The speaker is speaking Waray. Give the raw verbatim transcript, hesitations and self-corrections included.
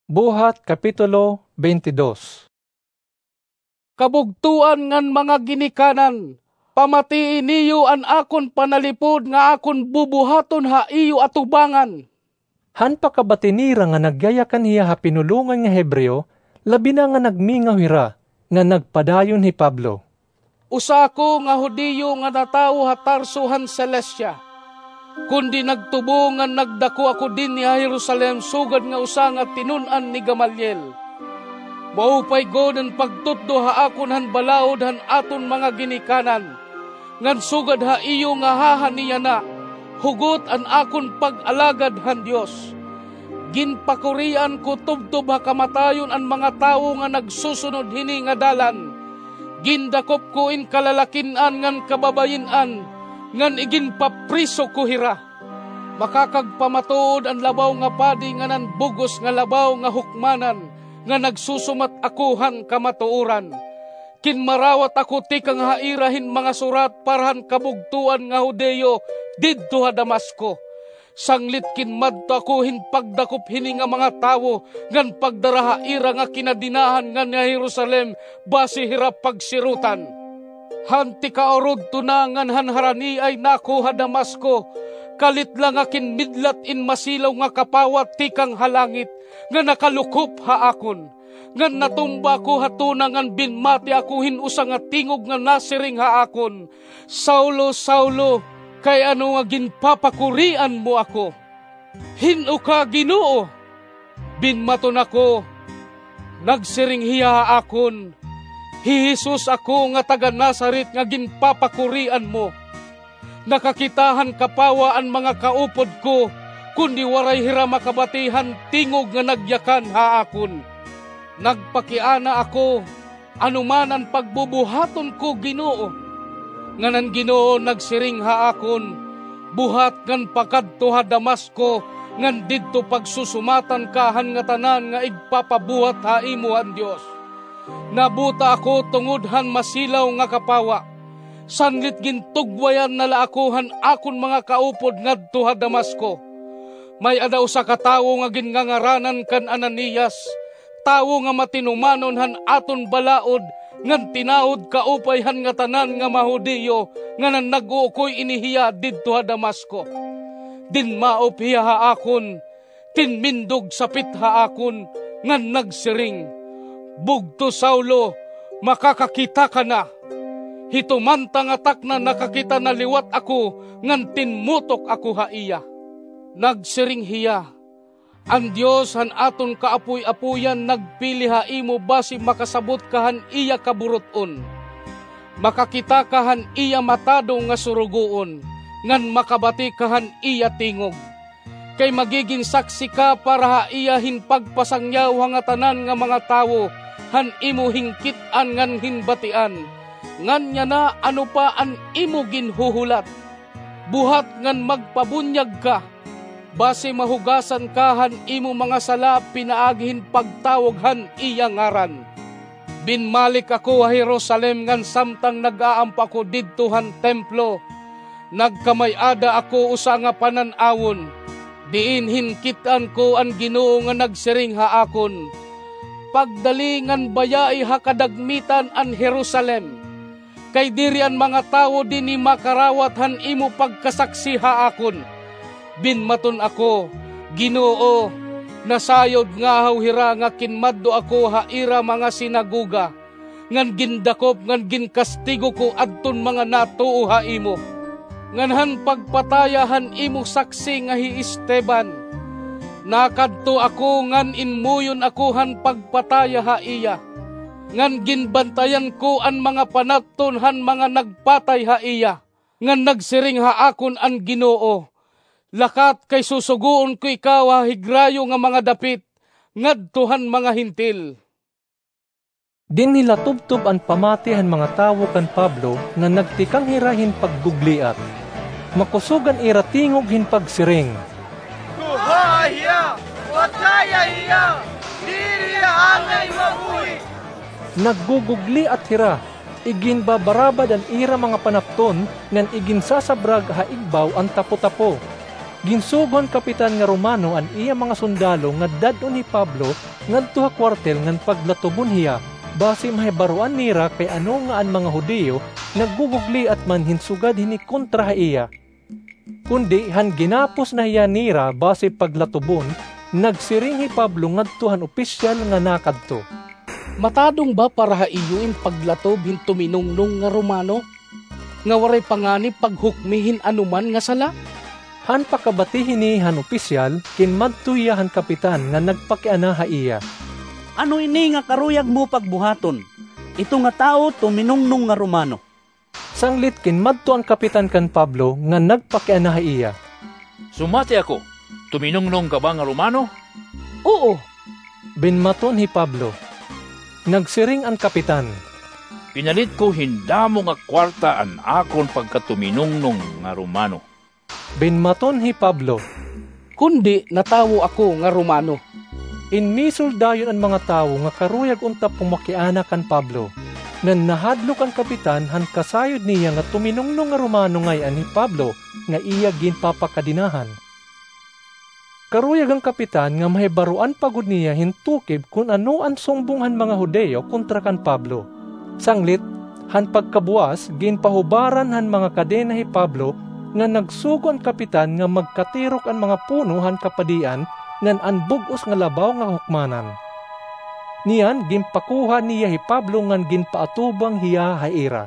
Buhat, Kapitulo twenty-two. Kabugtoan ngan mga ginikanan, pamatii niyo an akon panalipod nga akon bubuhaton ha iyo atubangan. Han pakabati nira nga nagyayakan hiya ha pinulongan nga Hebreo, labi na nga nagmingaw hira, nga nagpadayon hi Pablo. Usa ako nga Judio nga natawo ha Tarso han Cilicia, kundi nagtubo ngan nagdako ako dinhi ha Jerusalem sugad nga usa nga tinun-an ni Gamaliel. Maupay gud an pagtutdo ha akon han balaod han aton mga ginikanan, ngan sugad ha iyo nga haha niya na, hugot an akon pag-alagad han Dios. Ginpakurian ko tubtob ha kamatayon an mga tawo nga nagsusunod hini nga dalan. Gindakop ko in kalalakin-an ngan kababayin-an, ngan iginpapriso ko hira. Makakagpamatuod an labaw nga padi ngan an bug-os nga labaw nga hukmanan nga nagsusumat ako han kamatuoran. Kinmarawat ako tikang ha ira hin mga surat para han kabugtoan nga Judio didto ha Damasco. Sanglit kinmadto ako hin pagdakop hini nga mga tawo ngan pagdara ha ira nga kinadenahan ngan ha Jerusalem basi hira pagsirotan. Han tikaurodto na ngan han haraniay na ako ha Damasco, kalit la nga kinmidlat in masilaw nga kapawa tikang ha langit nga nakalukop ha akon. Ngan natumba ako ha tuna ngan binmati ako hin usa nga tingog nga nasiring ha akon, "Saulo, Saulo, kay ano nga ginpapakurian mo ako?" "Hin-o ka, Ginoo?" Binmaton ako. Nagsiring hiya ha akon, "Hi Jesus ako nga taga-Nazaret nga ginpapakurian mo. Nakakita han kapawa an mga kaupod ko, kundi waray hira makabati han tingog nga nagyakan ha akon." Nagpakiana ako, "Ano man an pagbubuhaton ko, Ginoo?" Ngan an Ginoo nagsiring ha akon, "Buhat ngan pakadto ha Damasco, ngan didto pagsusumatan ka han ngatanan nga igpapabuhat ha imo han Dios." Nabuta ako tungod han masilaw nga kapawa. Sanglit gintugwayan na la ako han akon mga kaupod ngadto ha Damasco. May-ada usa ka tawo nga ginngangaranan kan Ananias, tawo nga matinumanon han aton balaod ngan tinawod kaupay han ngatanan nga mga Judio, ngan an nag-uukoy ini hiya didto ha Damasco. Dinmaop hiya ha akon, tinmindog sapit ha akon, ngan nagsiring, "Bugto Saulo, makakakita ka na." Hito man ta nga takna nakakita na liwat ako, ngan tinmutok ako ha iya. Nagsiring hiya, "An Dios han aton kaapoy-apoyan nagpili ha imo basi makasabot ka han iya kaburut-on. Makakita ka han iya matado nga surugoon, ngan makabati ka han iya tingog. Kay magigin saksi ka para ha iya hin pagpasangyaw ha ngatanan nga mga tawo han imo hinkit-an ngan hinbatian. Ngan yana, ano pa an imo ginhuhulat? Buhat ngan magpabunyag ka, basi mahugasan ka han imo mga sala pinaagi hin pagtawag han iya ngaran." Binmalik ako ha Jerusalem ngan samtang nag-aampo ako didto han templo, nagkamay-ada ako usa nga panan-awon, diin hinkit-an ko an Ginoo nga nagsiring ha akon, "Pagdali ngan bayai ha kadagmitan an Jerusalem, kay diri an mga tawo dinhi makarawat han imo pagkasaksi ha akon." Binmaton ako, "Ginoo, nasayod ngahaw hira nga kinmadto ako ha ira mga sinagoga, ngan gindakop ngan ginkastigo ko adton mga natuo ha imo. Ngan han pagpataya han imo saksi nga hi Esteban, nakadto ako ngan inmuyon ako han pagpataya ha iya, ngan ginbantayan ko an mga panat-on han mga nagpatay ha iya. Ngan nagsiring ha akon an Ginoo, 'Lakat, kay susugoon ko ikaw ha higrayo nga mga dapit ngadto han mga Hentil.'" Dinhi la tubtob an pamati han mga tawo kan Pablo nga nagtikang hira hin paggugliat. Makusog an ira tingog hin pagsiring, "Kuhaa hiya! Pataya hiya! Diri hiya angay mabuhi!" Naggugugliat hira, iginbabarabad an ira mga panapton ngan iginsasabrag ha igbaw an tapotapo. Ginsugo han kapitan nga Romano an iya mga sundalo nga dad-on hi Pablo ngadto ha kuwartel ngan paglatubon hiya, basi mahibaroan nira kay ano nga an mga Judio naggugugliat man hin sugad hini kontra ha iya. Kundi han ginapos na hiya nira basi paglatubon, nagsiring hi Pablo ngadto han opisyal nga nakadto, "Matadong ba para ha iyo in paglatob hin tuminungnong nga Romano, nga waray pa ngani paghukmi hin anoman nga sala?" Han pakabati hini han opisyal, kinmadto hiya han kapitan nga nagpakiana ha iya, "Ano ini nga karuyag mo pagbuhaton? Ito nga tawo tuminungnong nga Romano." Sanglit kinmadto an kapitan kan Pablo nga nagpakiana ha iya, "Sumati ako, tuminungnong ka ba nga Romano?" "Oo," binmaton hi Pablo. Nagsiring an kapitan, "Pinalit ko hin damo nga kwarta an akon pagkatuminungnong nga Romano." Binmaton hi Pablo, "Kundi natawo ako nga Romano." Inmisol dayon an mga tawo nga karuyag unta pumakiana kan Pablo, ngan nahadlok an kapitan han kasayod niya nga tuminungnong nga Romano ngay-an hi Pablo nga iya ginpapakadenahan. Karuyag an kapitan nga mahibaroan pa gud niya hin tukib kon ano an sumbong han mga Judio kontra kan Pablo. Sanglit, han pagkabuwas, ginpahubaran han mga kadena hi Pablo, ngan nagsugo an kapitan nga magkatirok an mga puno han kapadian ngan an bug-os nga labaw nga hukmanan. Niyan, ginpakuha niya hi Pablo ngan ginpaatubang hiya ha ira.